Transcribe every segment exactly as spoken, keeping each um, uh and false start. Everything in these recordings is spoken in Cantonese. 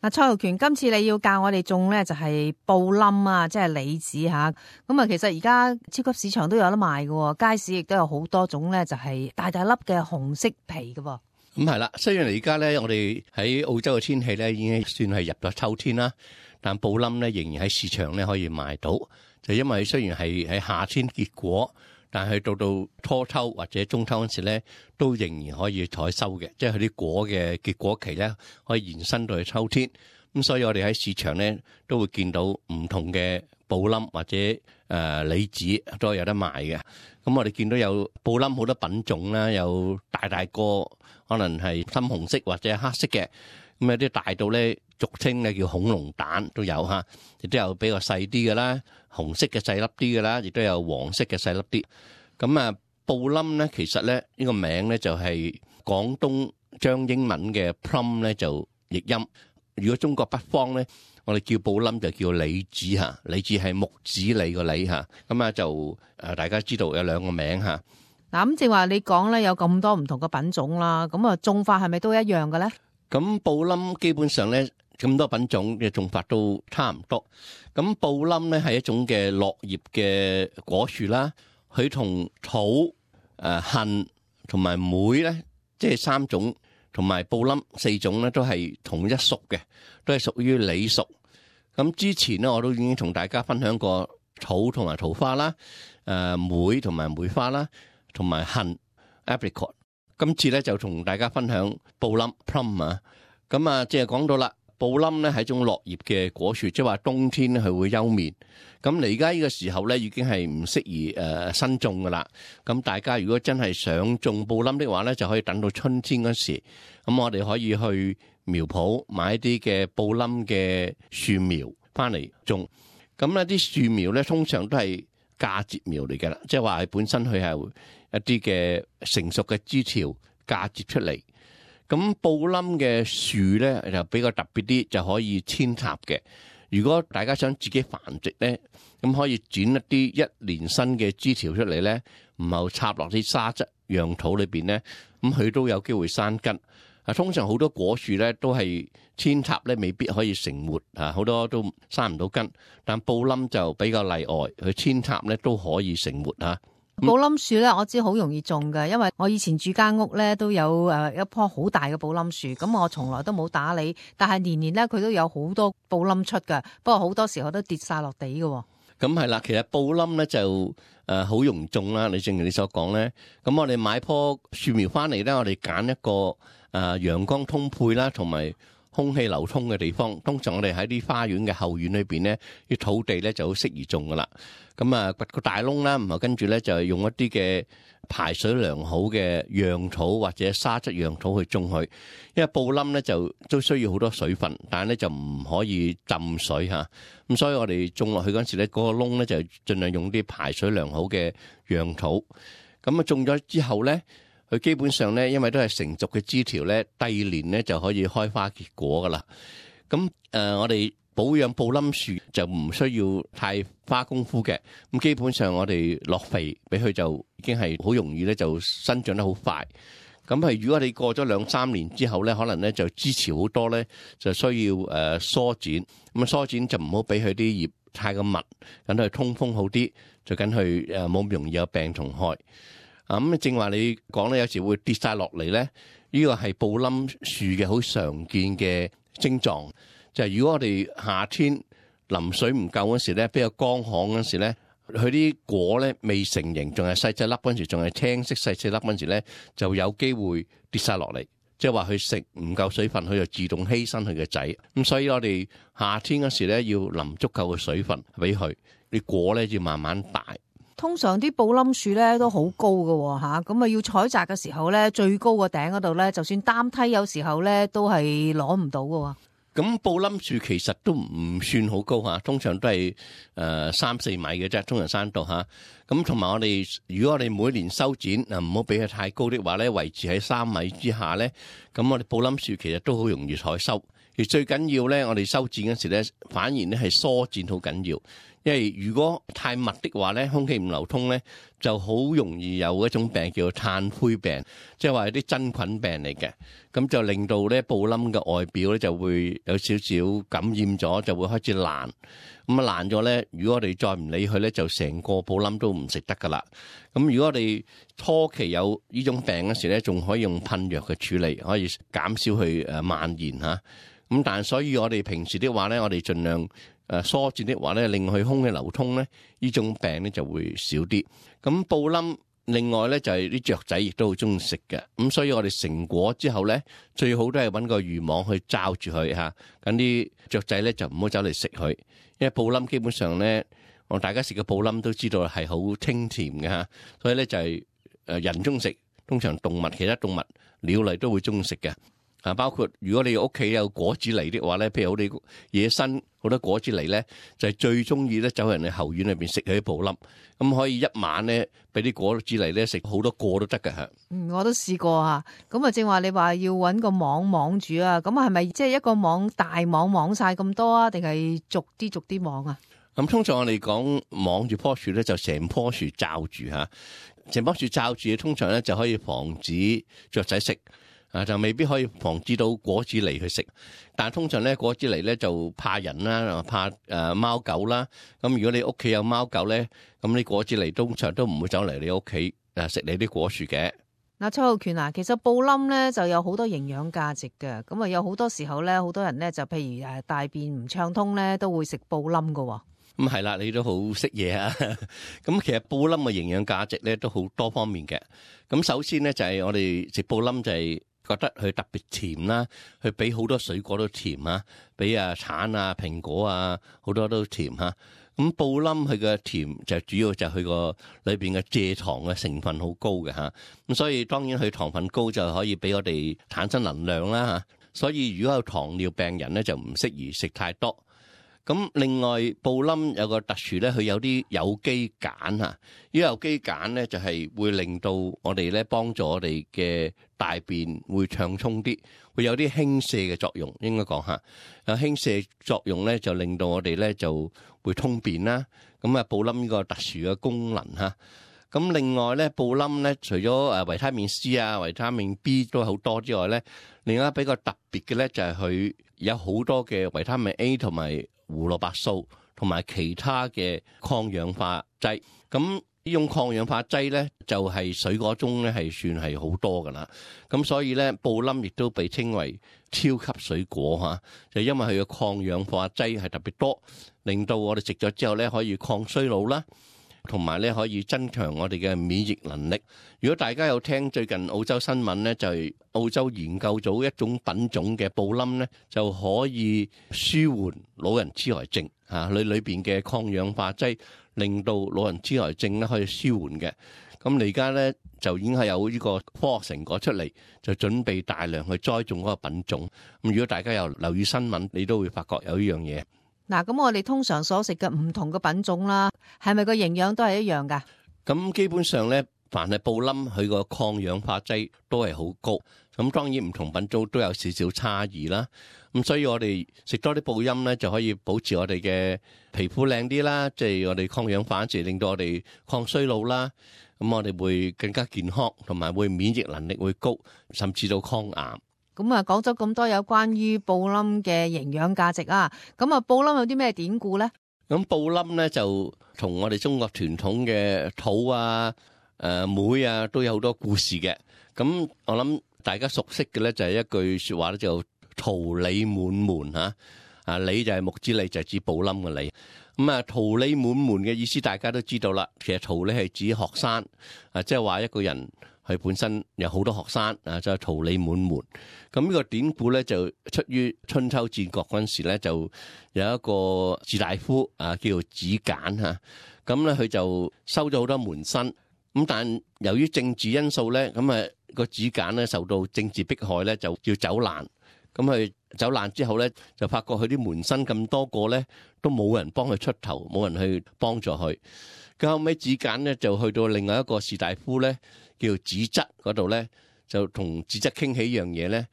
嗱，蔡浩權，今次你要教我哋種咧就係布冧啊，即係李子吓。咁啊，其實而家超級市場都有得賣嘅，街市亦都有好多種咧，就係大大粒嘅紅色皮嘅。咁係啦，雖然而家咧，我哋喺澳洲嘅天氣咧已經算係入咗秋天啦，但布冧咧仍然喺市場咧可以賣到，就因為雖然係喺夏天結果，但係到到初秋或者中秋嗰時咧，都仍然可以採收嘅，即係佢啲果嘅結果期咧可以延伸到去秋天。咁所以我哋喺市場咧都會見到唔同嘅布冧或者誒、呃、李子都有得賣嘅。咁我哋見到有布冧好多品種啦，有大大個可能係深紅色或者黑色嘅，咁有啲大到咧俗稱咧叫恐龍蛋都有嚇，亦都有比較細啲嘅啦，紅色嘅細粒啲嘅啦，亦都有黃色嘅細粒啲。咁啊，布冧咧其實咧呢個名咧就係廣東將英文嘅 plum 咧就譯音。如果中國北方咧，我哋叫布冧就叫李子嚇，李子係木子李個李嚇。咁啊就誒大家知道有兩個名嚇。嗱，咁正話你講咧有咁多唔同嘅品種啦，咁啊種法係咪都一樣嘅咧？咁布冧基本上咧咁多品種嘅種法都差唔多。咁布冧咧係一種嘅落葉嘅果樹啦，佢同草、誒杏同埋梅咧，即係三種。同埋布冧四種咧都係同一屬嘅，都係屬於李屬。咁之前咧我都已經同大家分享過草同埋桃花啦，誒梅同埋梅花啦，同埋杏 apricot。今次咧就同大家分享布冧 plum 啊。咁啊，即係講到啦，布冧咧係一種落葉嘅果樹，即係話冬天咧佢會休眠。咁嚟而家呢個時候咧已經係唔適宜誒新種噶啦。咁大家如果真係想種布冧的話咧，就可以等到春天嗰時。咁我哋可以去苗圃買一啲嘅布冧嘅樹苗翻嚟種。咁呢啲樹苗咧通常都係嫁接苗嚟嘅啦，即係話係本身佢係一啲嘅成熟嘅枝條嫁接出嚟。咁布冧嘅樹咧就比較特別啲，就可以扦插嘅。如果大家想自己繁殖咧，咁可以剪一啲一年新嘅枝條出嚟咧，然後插落啲沙質壤土裏邊咧，咁佢都有機會生根。啊，通常好多果樹咧都係扦插咧，未必可以成活啊，好多都生唔到根。但布冧就比較例外，佢扦插咧都可以成活啊。布冧樹咧，我知好容易種嘅，因為我以前住間屋咧都有誒一棵好大嘅布冧樹，咁我從來都冇打理，但係年年咧佢都有好多布冧出嘅，不過好多時候都跌晒落地嘅。咁係啦，其實布冧咧就誒好容易種啦。你正如你所講咧，咁我哋買棵樹苗翻嚟咧，我哋揀一個誒陽光通配啦，同埋空氣流通嘅地方。通常我哋喺啲花園嘅後院裏邊咧，啲土地咧就好適宜種噶啦。咁啊掘個大窿啦，然後跟住咧就係用一啲嘅排水良好嘅壤土或者沙質壤土去種佢。因為布冧咧就都需要好多水分，但係咧就唔可以浸水嚇。咁所以我哋種落去嗰陣時咧，嗰個窿咧就盡量用啲排水良好嘅壤土。咁啊種咗之後咧，佢基本上咧，因為都係成熟嘅枝條咧，第二年咧就可以開花結果噶啦。咁誒、呃，我哋保養布冧樹就唔需要太花功夫嘅。咁基本上我哋落肥俾佢就已經係好容易咧，就生長得好快。咁係如果你過咗兩三年之後咧，可能咧就枝條好多咧，就需要誒疏剪。咁啊疏剪就唔好俾佢啲葉太過密，等佢通風好啲，就緊佢誒冇咁容易有病蟲害。啊咁正話你講咧，有時會跌晒落嚟咧，呢個係布冧樹嘅好常見嘅症狀。就係如果我哋夏天淋水唔夠嗰時咧，比較乾旱嗰時咧，佢啲果咧未成型，仲係細細粒嗰陣時，仲係青色細細粒嗰陣時咧，就有機會跌晒落嚟。即係話佢食唔夠水分，佢就自動犧牲佢嘅仔。咁所以我哋夏天嗰時咧，要淋足夠嘅水分俾佢，啲果咧要慢慢大。通常啲布冧樹咧都好高嘅吓，咁啊要採摘嘅時候咧，最高個頂嗰度咧，就算擔梯有時候咧都係攞唔到嘅。咁布冧樹其實都唔算好高吓，通常都係誒三四米嘅啫，通常山度吓。咁同埋我哋，如果我哋每年修剪啊，唔好俾佢太高的話咧，維持喺三米之下咧，咁我哋布冧樹其實都好容易採收。而最緊要咧，我哋修剪嗰時咧，反而咧係疏剪好緊要。因為如果太密的話咧，空氣唔流通咧，就好容易有一種病叫做炭灰病，即係話有啲真菌病嚟嘅，咁就令到咧布冧嘅外表咧就會有少少感染咗，就會開始爛。咁啊爛咗咧，如果我哋再唔理佢咧，就成個布冧都唔食得噶啦。咁如果我哋初期有呢種病嗰時咧，仲可以用噴藥嘅處理，可以減少佢誒蔓延嚇。咁但係所以我哋平時的話咧，我哋盡量誒疏剪的話咧，令佢空氣流通咧，呢種病咧就會少啲。咁布冧另外咧就係啲雀仔亦都好中意食嘅，咁所以我哋成果之後咧，最好都係揾個漁網去罩住佢嚇，咁啲雀仔咧就唔好走嚟食佢。因為布冧基本上咧，我大家食嘅布冧都知道係好清甜嘅嚇，所以咧就係誒人中食，通常動物其他動物鳥類都會中意食嘅。啊，包括如果你屋企有果子狸的話咧，譬如我哋野生好多果子狸咧，就係最中意咧走入人哋後院裏邊食佢啲布冧，咁可以一晚咧俾啲果子狸咧食好多個都得㗎嚇。嗯，我都試過啊。咁啊，正話你話要揾個網網住啊，咁係咪即係一個網大網網晒咁多啊？定係逐啲逐啲網啊？咁通常我哋講網住棵樹咧，就成棵樹罩住嚇，成棵樹罩住，通常咧就可以防止雀仔食。啊，就未必可以防止到果子狸去食，但係通常咧果子狸咧就怕人啦，怕誒貓狗啦。咁如果你屋企有貓狗咧，咁啲果子狸通常都唔會走嚟你屋企誒食你啲果樹嘅。嗱，蔡浩權啊，其實布冧咧就有好多營養價值嘅，咁啊有好多時候咧，好多人咧就譬如誒大便唔暢通咧，都會食布冧噶。咁係啦，你都好識嘢啊！咁其實布冧嘅營養價值咧都好多方面嘅。咁首先咧就係我哋食布冧就係覺得佢特別甜啦，佢比好多水果都甜啊，比啊橙啊、蘋果啊好多都甜嚇。咁布冧佢嘅甜就主要就係佢個裏邊嘅蔗糖嘅成分好高嘅嚇。咁所以當然佢糖分高就可以俾我哋產生能量啦嚇。所以如果有糖尿病人咧就唔適宜食太多。咁另外布冧有個特殊咧，佢有啲有機鹼嚇，呢有機鹼咧就係會令到我哋咧幫助我哋嘅大便會暢通啲，會有啲輕瀉嘅作用，應該講下。有輕瀉作用咧就令到我哋咧就會通便啦。咁啊布冧呢個特殊嘅功能嚇。咁另外咧布冧咧除咗誒維他命 C 啊、維他命 B 都好多之外咧，另外比較特別嘅咧就係佢有好多嘅維他命 A 同埋胡蘿蔔素同埋其他嘅抗氧化劑，咁呢種抗氧化劑咧就係水果中咧係算係好多噶啦，咁所以咧布冧亦都被稱為超級水果嚇，就因為佢嘅抗氧化劑係特別多，令到我哋食咗之後咧可以抗衰老啦。同埋咧可以增強我哋嘅免疫能力。如果大家有聽最近澳洲新聞咧，就係澳洲研究咗一種品種嘅布冧咧，就可以舒緩老人痴呆症嚇，裏裏邊嘅抗氧化劑令到老人痴呆症咧可以舒緩嘅。咁你而家咧就已經係有呢個科學成果出嚟，就準備大量去栽種嗰個品種。咁如果大家有留意新聞，你都會發覺有呢樣嘢。嗱，咁我哋通常所食嘅唔同嘅品種啦，係咪個營養都係一樣噶？咁基本上咧，凡係布冧，佢個抗氧化劑都係好高。咁當然唔同品種都有少少差異啦。咁所以我哋食多啲布冧咧，就可以保持我哋嘅皮膚靚啲啦，即係我哋抗氧化時令到我哋抗衰老啦。咁我哋會更加健康，同埋會免疫能力會高，甚至到抗癌。咁啊，講咗咁多有關於布冧嘅營養價值啊，咁啊，布冧有啲咩典故咧？咁布冧咧就同我哋中國傳統嘅肚啊、誒妹啊都有好多故事嘅。咁我諗大家熟悉嘅咧就係一句說話咧，就桃李滿門吓。啊，李就係木子李，就係指布冧嘅李。咁啊，桃李滿門嘅意思大家都知道啦。其實桃李係指學生啊，即係話一個人。佢本身有好多學生啊，就係桃李滿門。咁呢個典故咧就出於春秋戰國嗰陣時咧，就有一個士大夫啊，叫做子簡嚇。咁咧佢就收咗好多門生。咁但由於政治因素咧，咁啊個子簡咧受到政治迫害咧，就要走難。咁佢走難之後咧，就發覺佢啲門生咁多個咧，都冇人幫佢出頭，冇人去幫助佢。咁後尾子簡咧就去到另外一個士大夫咧，叫子則嗰度咧，就同子則傾起一樣嘢咧。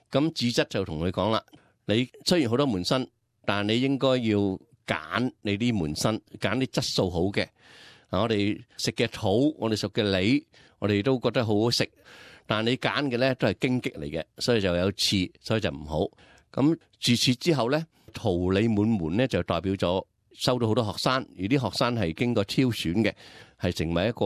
咁子則就同佢講啦：你雖然好多門生，但係你應該要揀你啲門生，揀啲質素好嘅。啊，我哋食嘅土，我哋食嘅梨，我哋都覺得好好食。但係你揀嘅咧都係荊棘嚟嘅，所以就有刺，所以就唔好。咁自此之後咧，桃李滿門咧就代表咗收到好多學生，而啲學生係經過挑選嘅，係成為一個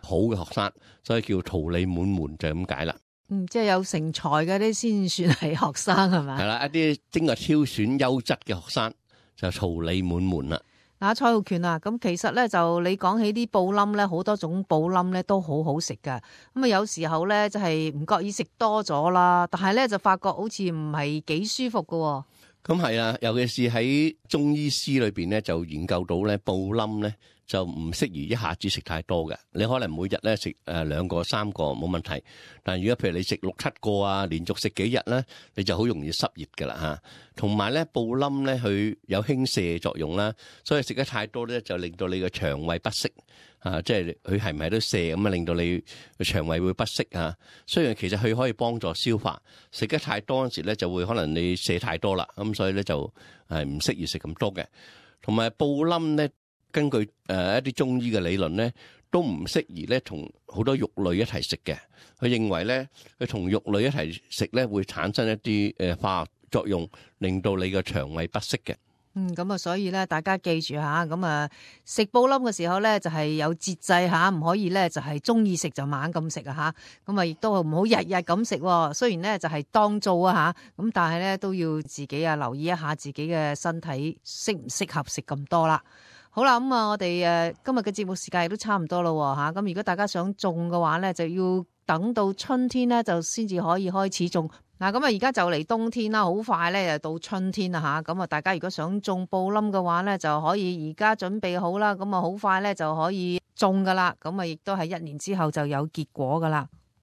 好嘅學生，所以叫桃李滿門就係咁解啦。嗯，即係有成才嘅啲先算係學生係嘛？係啦，一啲經過挑選優質嘅學生就桃李滿門啦。嗱，蔡浩權啊，咁其實咧就你講起啲布冧咧，好多種布冧咧都好好食噶。咁啊，有時候咧就係唔覺意食多咗啦，但係咧就發覺好似唔係幾舒服噶。咁係啊，尤其是喺中醫師裏邊咧，就研究到咧布冧咧就唔適宜一下子食太多嘅。你可能每日咧食誒兩個三個冇問題，但係如果譬如你食六七個啊，連續食幾日咧，你就好容易濕熱噶啦嚇。同埋咧布冧咧佢有輕瀉作用啦，所以食得太多咧就令到你個腸胃不適啊，即係佢係唔係都瀉咁啊，令到你個腸胃會不適啊。雖然其實佢可以幫助消化，食得太多嗰陣時咧就會可能你瀉太多啦，咁所以咧就係唔適宜食咁多嘅。同埋布冧咧，根據誒一啲中醫嘅理論咧，都唔適宜咧同好多肉類一齊食嘅。佢認為咧，佢同肉類一齊食咧會產生一啲誒化學作用，令到你個腸胃不適嘅。嗯，咁啊，所以咧，大家記住吓，咁啊，食布冧嘅時候咧，就係有節制吓，唔可以咧就係中意食就猛咁食啊吓，咁啊，亦都唔好日日咁食。雖然咧就係當造啊吓，咁但係咧都要自己啊留意一下自己嘅身體適唔適合食咁多啦。好啦，咁啊，我哋誒今日嘅節目時間亦都差唔多咯吓，咁如果大家想種嘅話咧，就要等到春天咧就先至可以開始種。嗱，咁啊，而家就嚟冬天啦，好快咧就到春天啦吓，咁啊，大家如果想種布冧嘅話咧，就可以而家準備好啦，咁啊，好快咧就可以種噶啦，咁啊，亦都係一年之後就有結果噶啦。